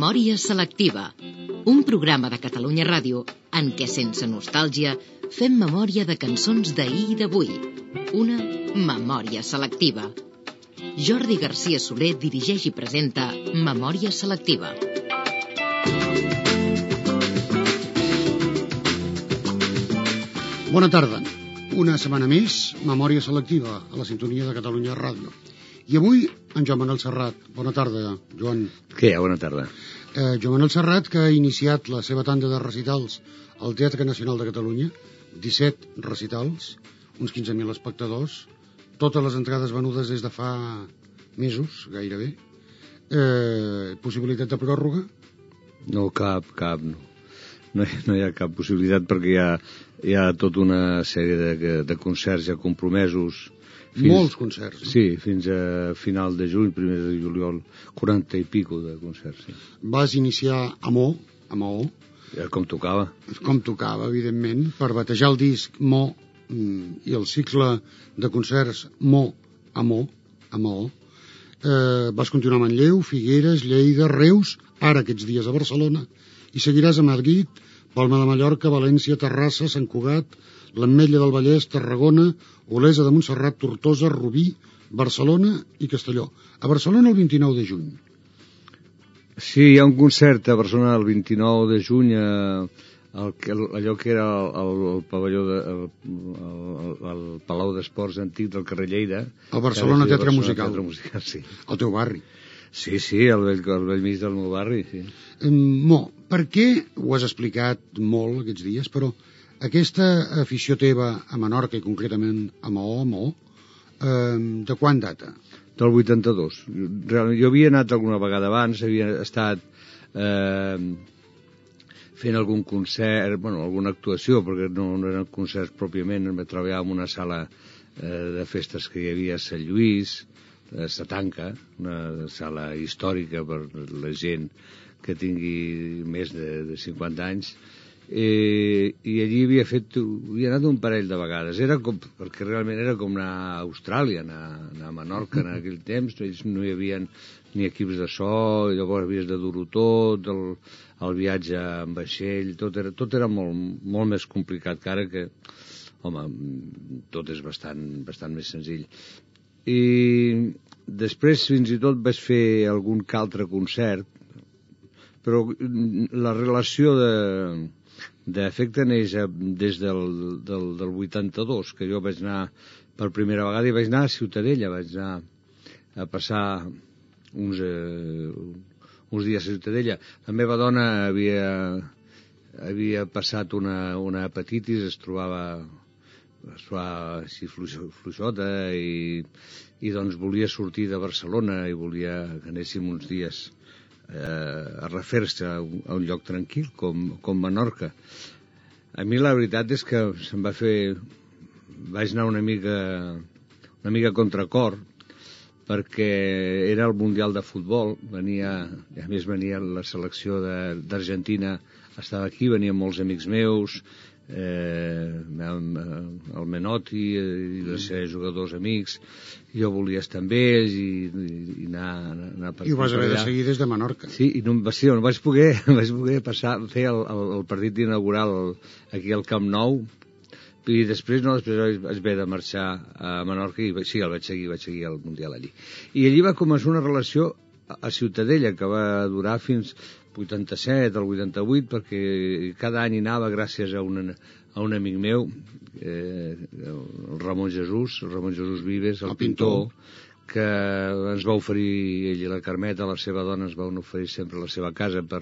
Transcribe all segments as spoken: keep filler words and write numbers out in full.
Memòria selectiva, un programa de Catalunya Ràdio en què, sense nostàlgia, fem memòria de cançons d'ahir i d'avui. Una memòria selectiva. Jordi Garcia Soler dirigeix i presenta Memòria selectiva. Bona tarda. Una setmana més, Memòria selectiva, a la sintonia de Catalunya Ràdio. I avui, en Joan Manuel Serrat. Bona tarda, Joan. Què hi ha? Bona tarda. Eh, Joan Manuel Serrat, que ha iniciat la seva tanda de recitals al Teatre Nacional de Catalunya, disset recitals, uns quinze mil espectadors, totes les entrades venudes des de fa mesos, gairebé. Eh, possibilitat de pròrroga? No, cap, cap, no. No hi, no hi ha cap possibilitat perquè hi ha, hi ha tota una sèrie de, de concerts ja compromesos. Fins, Molts concerts. No? Sí, fins a final de juny, primer de juliol, quaranta i pico de concerts. Sí. Vas iniciar a Mo, a Maó. Ja, com tocava. Com tocava, evidentment, per batejar el disc Mo i el cicle de concerts Mo a Mo, a Maó. Eh, vas continuar a Manlleu, Figueres, Lleida, Reus, ara aquests dies a Barcelona, i seguiràs a Madrid, Palma de Mallorca, València, Terrassa, Sant Cugat, l'Ametlla del Vallès, Tarragona, Olesa de Montserrat, Tortosa, Rubí, Barcelona i Castelló. A Barcelona el vint-i-nou de juny. Sí, hi ha un concert a Barcelona el vint-i-nou de juny, eh, el, allò que era el, el, el pavelló, de, el, el, el Palau d'Esports antic del carrer Lleida. El Barcelona Teatre Barcelona Musical. Teatre Musical, sí. El teu barri. Sí, sí, el vell, el vell mig del meu barri, sí. Mo, per què, ho has explicat molt aquests dies, però aquesta afició teva a Menorca i concretament a Maó, a Maó, eh, de quan data? Del vuitanta-dos. Realment, jo havia anat alguna vegada abans, havia estat eh, fent algun concert, bueno, alguna actuació, perquè no, no eren concerts pròpiament, em treballava en una sala eh, de festes que hi havia a Sant Lluís, a Satanca, una sala històrica per la gent que tingui més de, de cinquanta anys, eh, i allí havia fet, havia anat un parell de vegades, era com, perquè realment era com anar a Austràlia, anar, anar a Menorca en aquell temps, no hi havia ni equips de so, llavors havies de dur-ho tot, el, el viatge en vaixell, tot era, tot era molt, molt més complicat que ara, que, home, tot és bastant, bastant més senzill. I després fins i tot vaig fer algun que altre concert, però la relació de d'efecte neix des del, del, del vuitanta-dos, que jo vaig anar per primera vegada i vaig anar a Ciutadella, vaig anar a passar uns, eh, uns dies a Ciutadella. La meva dona havia, havia passat una, una hepatitis, es trobava es fa així fluixota i, i doncs volia sortir de Barcelona i volia que anéssim uns dies eh, a refer-se a, un, a un lloc tranquil com, com Menorca. A mi la veritat és que se'm va fer, vaig anar una mica una mica contracor perquè era el Mundial de Futbol, venia, a més venia la selecció de, d'Argentina, estava aquí, venien molts amics meus, Eh, el Menotti i els seus jugadors amics, jo volia estar amb ells i, i, i anar, anar per i ho vas haver de seguir des de Menorca. Sí, i no, sí, no vaig poder, vaig poder passar, fer el, el, el partit inaugural aquí al Camp Nou, i després no, després vaig haver de marxar a Menorca i sí, el vaig seguir, vaig seguir el Mundial allí. I allí va començar una relació a Ciutadella que va durar fins vuitanta-set al vuitanta-vuit, perquè cada any hi anava gràcies a, una, a un amic meu, eh, el Ramon Jesús, el Ramon Jesús Vives, el, el pintor, pintor, que ens va oferir, ell i la Carmeta, la seva dona, ens van oferir sempre la seva casa per,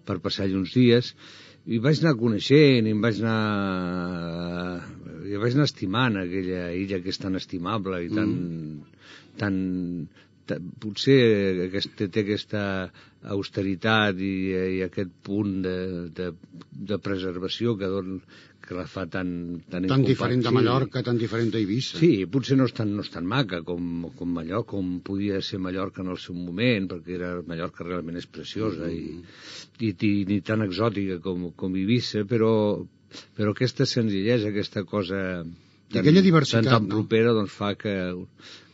per passar-hi uns dies, i vaig anar coneixent, i em vaig anar, i vaig anar estimant aquella illa que és tan estimable i tan, mm. tan, potser aquest, té aquesta austeritat i, i aquest punt de, de, de preservació que, don, que la fa tan tan, tan diferent de Mallorca, sí. Tan diferent d'Eivissa. Sí, potser no és tan, no és tan maca com, com Mallorca, com podia ser Mallorca en el seu moment, perquè era, Mallorca realment és preciosa mm. i, i, i ni tan exòtica com, com Eivissa, però, però aquesta senzillesa, aquesta cosa tan, aquella diversitat, tan, tan no? propera, doncs fa que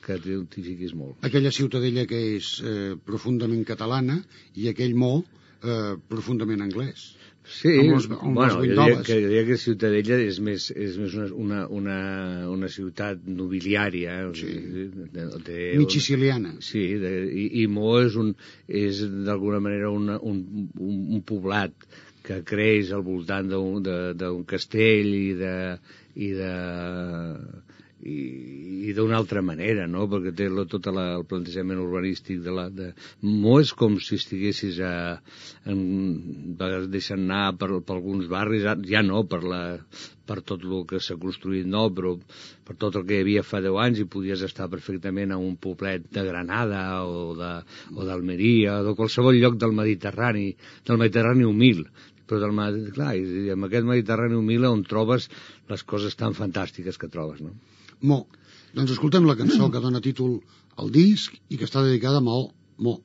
que t'identifiquis molt. Aquella Ciutadella que és eh, profundament catalana i aquell Mo eh, profundament anglès. Sí, amb les, amb bueno, les jo diria, que, jo diria que Ciutadella és més, és més una, una, una, una ciutat nobiliària. Eh? Sí. De, de, mig siciliana. Sí, de, i, i Mo és, un, és d'alguna manera una, un, un, un poblat que creix al voltant d'un castell i de... I de i, i d'una altra manera, no? Perquè té la, tot la, el plantejament urbanístic de la... De... Mo és com si estiguessis a... En, deixant anar per, per alguns barris, ja no per, la, per tot el que s'ha construït, no, però per tot el que hi havia fa deu anys i podies estar perfectament a un poblet de Granada o d'Almeria o de qualsevol lloc del Mediterrani, del Mediterrani humil. Però del, clar, i amb aquest Mediterrani humil on trobes les coses tan fantàstiques que trobes, no? Mo. Doncs escoltem la cançó que dona títol al disc i que està dedicada a Maó. Mo.